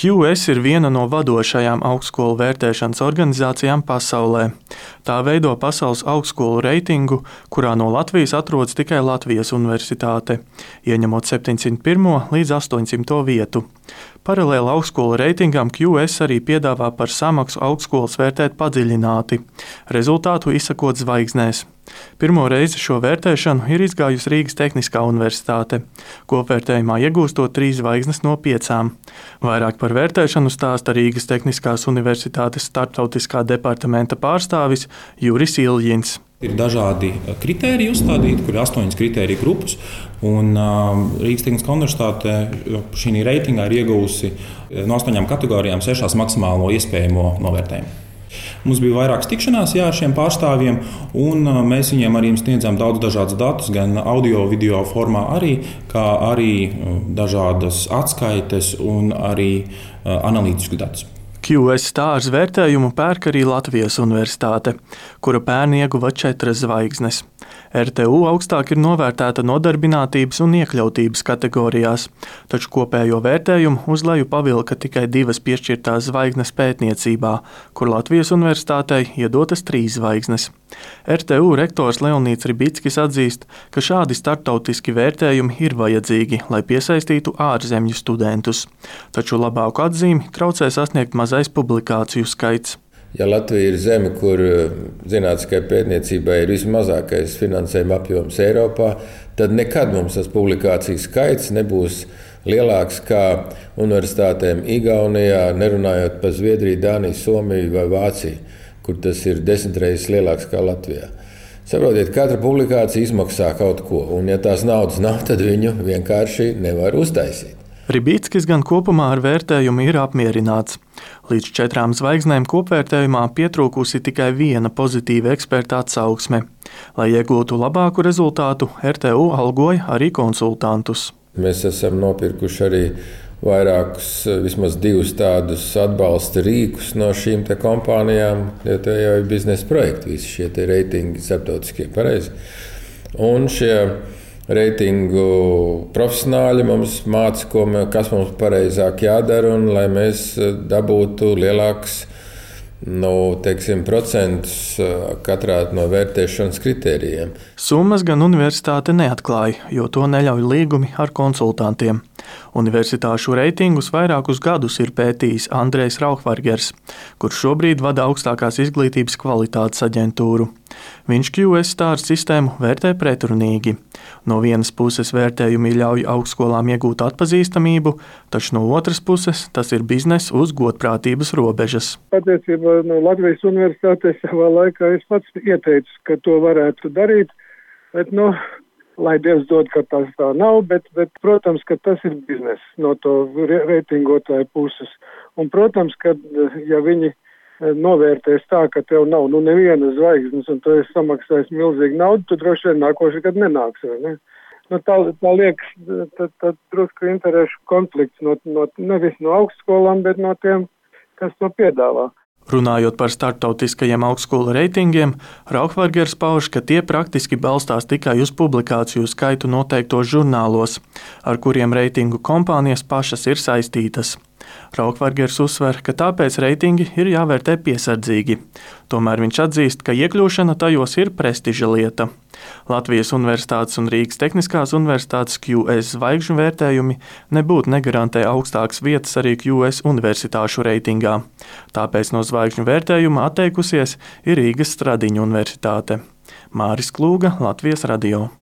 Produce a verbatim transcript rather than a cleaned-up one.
Q S ir viena no vadošajām augstskolu vērtēšanas organizācijām pasaulē. Tā veido pasaules augstskolu reitingu, kurā no Latvijas atrodas tikai Latvijas Universitāte, ieņemot septiņsimt pirmo līdz astoņsimto vietu. Paralēli augstskolu reitingam Q S arī piedāvā par samaksu augstskolas vērtēt padziļināti, rezultātu izsakot zvaigznēs. Pirmo reizi šo vērtēšanu ir izgājusi Rīgas Tehniskā universitāte, kopvērtējumā iegūstot trīs zvaigznes no piecām. Vairāk par vērtēšanu stāsta Rīgas Tehniskās universitātes starptautiskā departamenta pārstāvis Juris Iļģins. Ir dažādi kritēriji uzstādīti, kur ir astoņas kritēriju grupas. Un, uh, Rīgas Tehniskā universitāte šī reitingā ir iegūsi no astoņām kategorijām sešās maksimālo iespējamo novērtējumu. Mums bija vairākas tikšanās jā, ar šiem pārstāvjiem, un mēs viņiem arī sniedzām daudz dažādus datus, gan audio, video formā, arī, kā arī dažādas atskaites un arī analītiskus datus. Q S stāžu vērtējumu pērk arī Latvijas Universitāte, kura pērn ieguva četras zvaigznes. R T U augstāk ir novērtēta nodarbinātības un iekļautības kategorijās, taču kopējo vērtējumu uz leju pavilka tikai divas piešķirtās zvaigznes pētniecībā, kur Latvijas Universitātei iedotas trīs zvaigznes. R T U rektors Leonīds Ribickis atzīst, ka šādi starptautiski vērtējumi ir vajadzīgi, lai piesaistītu ārzemju studentus, taču labāku atzīmi traucē sasniegt mazais publikāciju skaits. Ja Latvija ir zeme, kur zinātniskai pētniecībai ir vismazākais finansējuma apjoms Eiropā, tad nekad mums tas publikāciju skaits nebūs lielāks kā universitātēm Igaunijā, nerunājot par Zviedriju, Dāniju, Somiju vai Vāciju, kur tas ir desmit reizes lielāks kā Latvijā. Saprotiet, katra publikācija izmaksā kaut ko, un ja tās naudas nav, tad viņu vienkārši nevar uztaisīt. Ribickis gan kopumā ar vērtējumu ir apmierināts. Līdz četrām zvaigznēm kopvērtējumā pietrūkusi tikai viena pozitīva eksperta atsauksme. Lai iegūtu labāku rezultātu, R T U algoja arī konsultantus. Mēs esam nopirkuši arī vairākus, vismaz divus tādus atbalsta rīkus no šīm te kompānijām, jo te jau ir biznesa projekti, visi šie te reitingi starptautiskie pareizi. Un šie reitingu profesionāļi mums māca, ko mē, kas mums pareizāk jādara, un lai mēs dabūtu lielāks nu, teiksim, procentus katrā no vērtēšanas kritērijiem. Summas gan universitāte neatklāja, jo to neļauj līgumi ar konsultantiem. Universitāšu reitingus vairākus gadus ir pētījis Andrejs Rauhvargers, kurš šobrīd vada augstākās izglītības kvalitātes aģentūru. Viņš Q S stāžu sistēmu vērtē pretrunīgi. No vienas puses vērtējumi ļauj augstskolām iegūt atpazīstamību, taču no otras puses tas ir bizness uz godprātības robežas. Patiesībā no Latvijas Universitātē savā laikā es pats ieteicu, ka to varētu darīt, bet nu, lai Dievs dod, ka tas tā nav, bet, bet protams, ka tas ir bizness no to reitingotāju puses. Un, protams, ka ja viņi novērtēs tā, ka tev nav nu, neviena zvaigznes un tu esi samaksājis milzīgu naudu, tu droši vien nākoši gadu nenāks, vai ne? Nu, tā, tā liekas, tad, tad drusku interešu konflikts no, no, nevis no augstskolām, bet no tiem, kas to piedāvā. Runājot par starptautiskajiem augstskolu reitingiem, Rauhvargers pauž, ka tie praktiski balstās tikai uz publikāciju skaitu noteiktos žurnālos, ar kuriem reitingu kompānijas pašas ir saistītas. Rauhvargers uzsver, ka tāpēc reitingi ir jāvērtē piesardzīgi. Tomēr viņš atzīst, ka iekļūšana tajos ir prestiža lieta. Latvijas Universitātes un Rīgas Tehniskās universitātes Q S zvaigžņu vērtējumi nebūtu negarantē augstākas vietas arī Q S universitāšu reitingā. Tāpēc no zvaigžņu vērtējuma atteikusies ir Rīgas Stradiņu universitāte. Māris Klūga, Latvijas radio.